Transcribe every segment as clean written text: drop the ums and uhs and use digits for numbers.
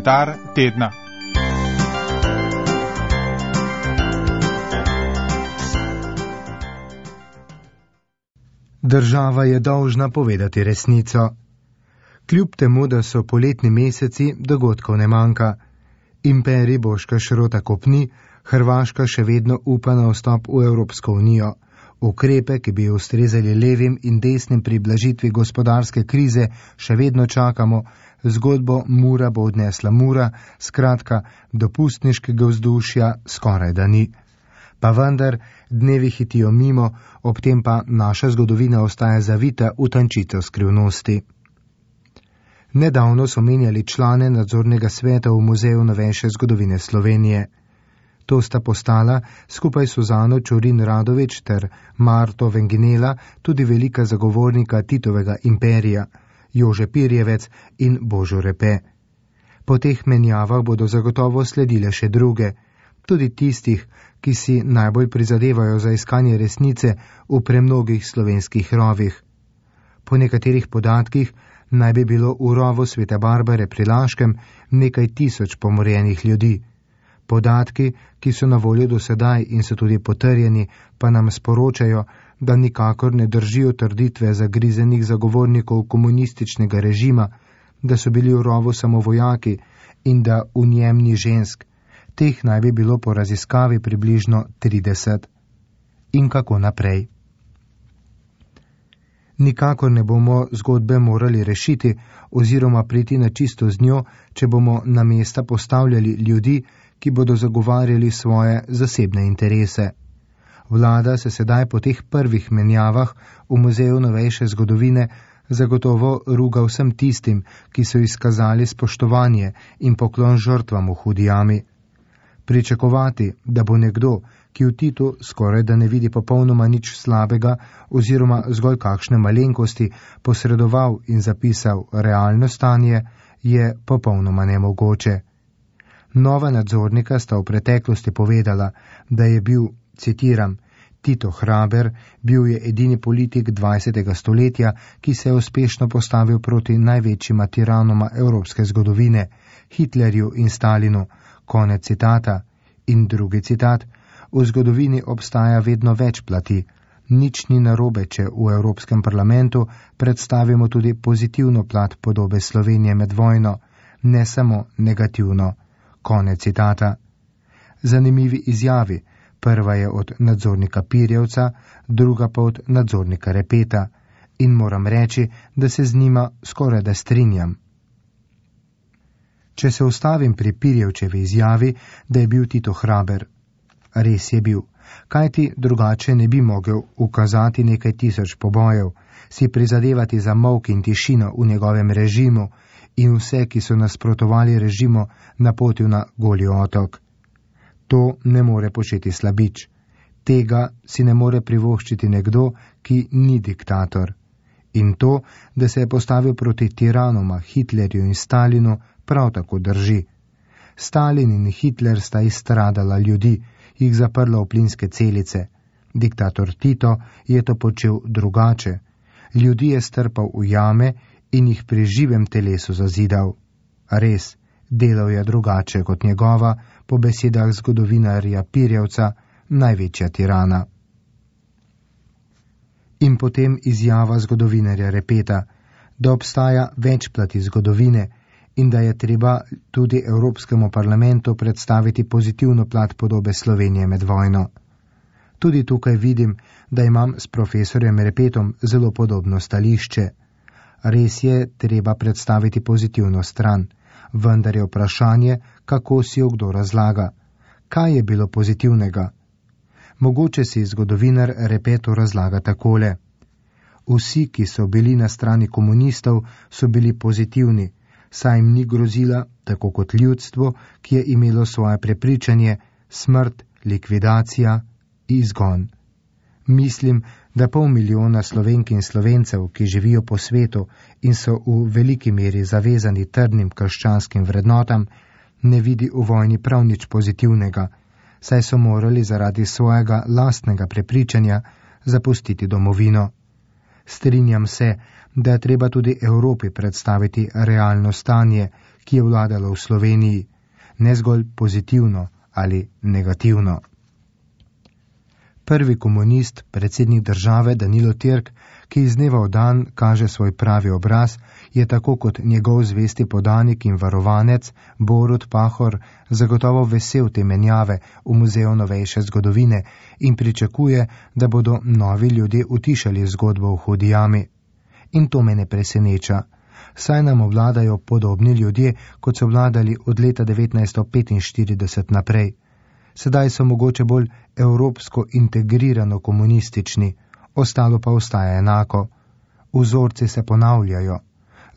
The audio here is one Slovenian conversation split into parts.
Komentar tedna. Država je dolžna povedati resnico. Kljub temu, da so poletni meseci, dogodkov ne manjka. Imperij Boška Šrota kopni, Hrvaška še vedno upa na vstop v Evropsko unijo. Ukrepe, ki bi ustrezali levim in desnim pri blažitvi gospodarske krize, še vedno čakamo. Zgodbo Mura bo odnesla Mura, skratka, dopustniškega vzdušja skoraj da ni. Pa vendar, dnevi hitijo mimo, ob tem pa naša zgodovina ostaja zavita v tančico skrivnosti. Nedavno so menjali člane nadzornega sveta v Muzeju novejše zgodovine Slovenije. To sta postala, skupaj s Suzano Čurin Radovič ter Marto Venginela, tudi velika zagovornika Titovega imperija, Jože Pirjevec in Božo Repe. Po teh menjavah bodo zagotovo sledile še druge, tudi tistih, ki si najbolj prizadevajo za iskanje resnice v premnogih slovenskih rovih. Po nekaterih podatkih naj bi bilo v rovu Svete Barbare pri Laškem nekaj tisoč pomorjenih ljudi. Podatki, ki so na voljo do sedaj in so tudi potrjeni, pa nam sporočajo, da nikakor ne držijo trditve zagrizenih zagovornikov komunističnega režima, da so bili v rovu samo vojaki in da v njem ni žensk. Teh naj bi bilo po raziskavi približno 30. In kako naprej? Nikakor ne bomo zgodbe morali rešiti oziroma priti na čisto z njo, če bomo na mesta postavljali ljudi, ki bodo zagovarjali svoje zasebne interese. Vlada se sedaj po teh prvih menjavah v Muzeju novejše zgodovine zagotovo ruga vsem tistim, ki so izkazali spoštovanje in poklon žrtvam v hudi jami. Pričakovati, da bo nekdo, ki v Titu skoraj da ne vidi popolnoma nič slabega oziroma zgolj kakšne malenkosti, posredoval in zapisal realno stanje, je popolnoma nemogoče. Nova nadzornika sta v preteklosti povedala, da je bil, citiram, Tito hraber, bil je edini politik 20. stoletja, ki se je uspešno postavil proti največjima tiranoma evropske zgodovine, Hitlerju in Stalinu, konec citata. In drugi citat, v zgodovini obstaja vedno več plati. Nič ni narobe, če v Evropskem parlamentu predstavimo tudi pozitivno plat podobe Slovenije med vojno, ne samo negativno. Konec citata. Zanimivi izjavi. Prva je od nadzornika Pirjevca, druga pa od nadzornika Repeta. In moram reči, da se z njima skoraj da strinjam. Če se ustavim pri Pirjevčevi izjavi, da je bil Tito hraber. Res je bil, kajti drugače ne bi mogel ukazati nekaj tisoč pobojev, si prizadevati za molk in tišino v njegovem režimu in vse, ki so nasprotovali režimu, napotil na Goli otok. To ne more početi slabič. Tega si ne more privoščiti nekdo, ki ni diktator. In to, da se je postavil proti tiranoma Hitlerju in Stalinu, prav tako drži. Stalin in Hitler sta izstradala ljudi, jih zaprla v plinske celice. Diktator Tito je to počel drugače. Ljudi je strpal v jame in jih pri živem telesu zazidal. Res, delal je drugače kot njegova, po besedah zgodovinarja Pirjevca, največja tirana. In potem izjava zgodovinarja Repeta, da obstaja več plati zgodovine in da je treba tudi Evropskemu parlamentu predstaviti pozitivno plat podobe Slovenije med vojno. Tudi tukaj vidim, da imam s profesorjem Repetom zelo podobno stališče. Res je treba predstaviti pozitivno stran, vendar je vprašanje, kako si jo kdo razlaga. Kaj je bilo pozitivnega? Mogoče si zgodovinar Repetu razlaga takole. Vsi, ki so bili na strani komunistov, so bili pozitivni, saj jim ni grozila, tako kot ljudstvo, ki je imelo svoje prepričanje, smrt, likvidacija, izgon. Mislim, da 500 000 Slovenk in Slovencev, ki živijo po svetu in so v veliki meri zavezani trdnim krščanskim vrednotam, ne vidi v vojni prav nič pozitivnega, saj so morali zaradi svojega lastnega prepričanja zapustiti domovino. Strinjam se, da je treba tudi Evropi predstaviti realno stanje, ki je vladalo v Sloveniji, ne zgolj pozitivno ali negativno. Prvi komunist, predsednik države Danilo Türk, ki iz dneva v dan kaže svoj pravi obraz, je tako kot njegov zvesti podanik in varovanec Borut Pahor zagotovo vesel te menjave v Muzeju novejše zgodovine in pričakuje, da bodo novi ljudje utišali zgodbo v Hudi jami. In to me ne preseneča, saj nam obvladajo podobni ljudje, kot so vladali od leta 1945 naprej. Sedaj so mogoče bolj evropsko integrirano komunistični, ostalo pa ostaja enako. Vzorci se ponavljajo,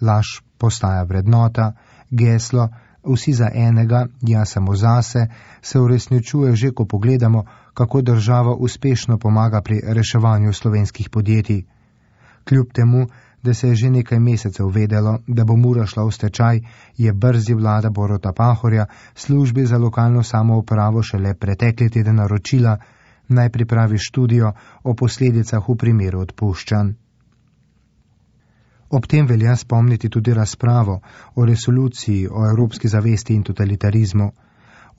laž postaja vrednota, geslo vsi za enega, jaz samo zase, se uresničuje že, ko pogledamo, kako država uspešno pomaga pri reševanju slovenskih podjetij. Kljub temu, da se je že nekaj mesecev vedelo, da bo Mura šla v stečaj, je brzi vlada Boruta Pahorja službi za lokalno samoupravo šele pretekli teden naročila, naj pripravi študijo o posledicah v primeru odpuščanj. Ob tem velja spomniti tudi razpravo o resoluciji o evropski zavesti in totalitarizmu.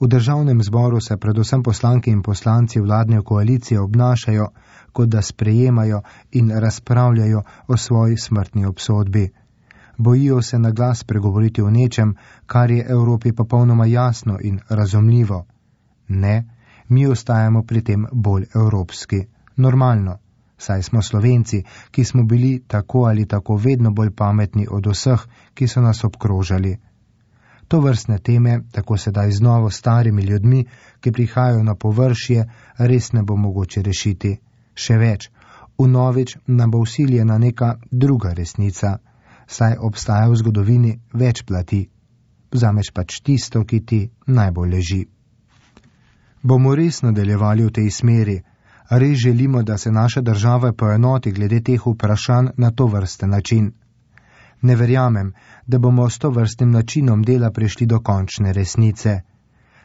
V državnem zboru se predvsem poslanke in poslanci vladne koalicije obnašajo, kot da sprejemajo in razpravljajo o svoji smrtni obsodbi. Bojijo se na glas pregovoriti o nečem, kar je Evropi popolnoma jasno in razumljivo. Ne, mi ostajamo pri tem bolj evropski. Normalno, saj smo Slovenci, ki smo bili tako ali tako vedno bolj pametni od vseh, ki so nas obkrožali. To vrstne teme, tako sedaj z novo starimi ljudmi, ki prihajajo na površje, res ne bo mogoče rešiti. Še več, vnovič nam bo vsiljena neka druga resnica, saj obstaja v zgodovini več plati. Vzameš pač tisto, ki ti najbolj leži. Bomo res nadaljevali v tej smeri? Res želimo, da se naša država poenoti glede teh vprašanj na to vrsten način? Ne verjamem, da bomo s to vrstnim načinom dela prišli do končne resnice.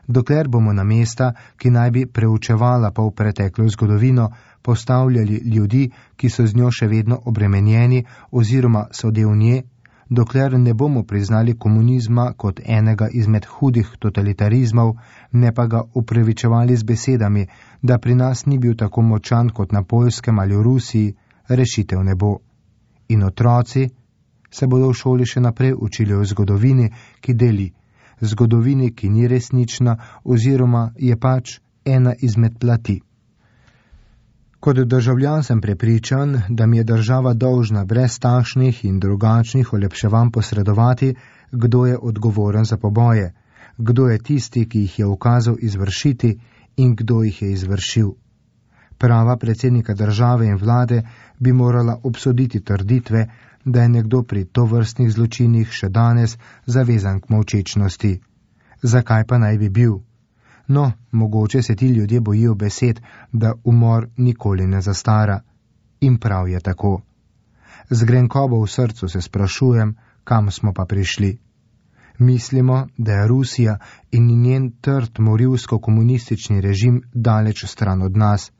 Dokler bomo na mesta, ki naj bi preučevala polpreteklo zgodovino, postavljali ljudi, ki so z njo še vedno obremenjeni oziroma so del nje, dokler ne bomo priznali komunizma kot enega izmed hudih totalitarizmov, ne pa ga upravičevali z besedami, da pri nas ni bil tako močan kot na Poljskem ali v Rusiji, rešitev ne bo. In otroci se bodo v šoli še naprej učili o zgodovini, ki deli, zgodovini, ki ni resnična oziroma je pač ena izmed plati. Kot državljan sem prepričan, da mi je država dolžna brez takšnih in drugačnih olepševanj posredovati, kdo je odgovoren za poboje, kdo je tisti, ki jih je ukazal izvršiti in kdo jih je izvršil. Prava predsednika države in vlade bi morala obsoditi trditve, da je nekdo pri tovrstnih zločinih še danes zavezan k molčečnosti. Zakaj pa naj bi bil? No, mogoče se ti ljudje bojijo besed, da umor nikoli ne zastara. In prav je tako. Z grenkobo v srcu se sprašujem, kam smo pa prišli. Mislimo, da je Rusija in njen trd morilsko-komunistični režim daleč stran od nas,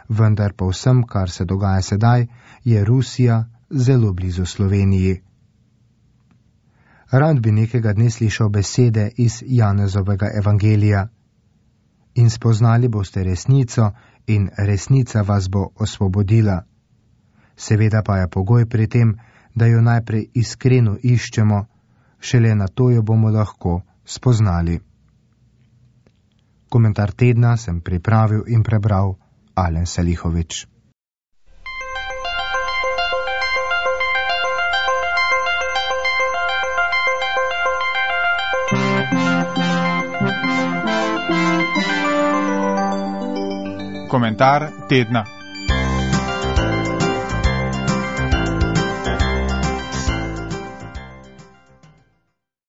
vendar pa vsem, kar se dogaja sedaj, je Rusija zelo blizu Sloveniji. Rad bi nekega dne slišal besede iz Janezovega evangelija. In spoznali boste resnico in resnica vas bo osvobodila. Seveda pa je pogoj pri tem, da jo najprej iskreno iščemo, šele na to jo bomo lahko spoznali. Komentar tedna sem pripravil in prebral Alen Salihović. Komentar tedna.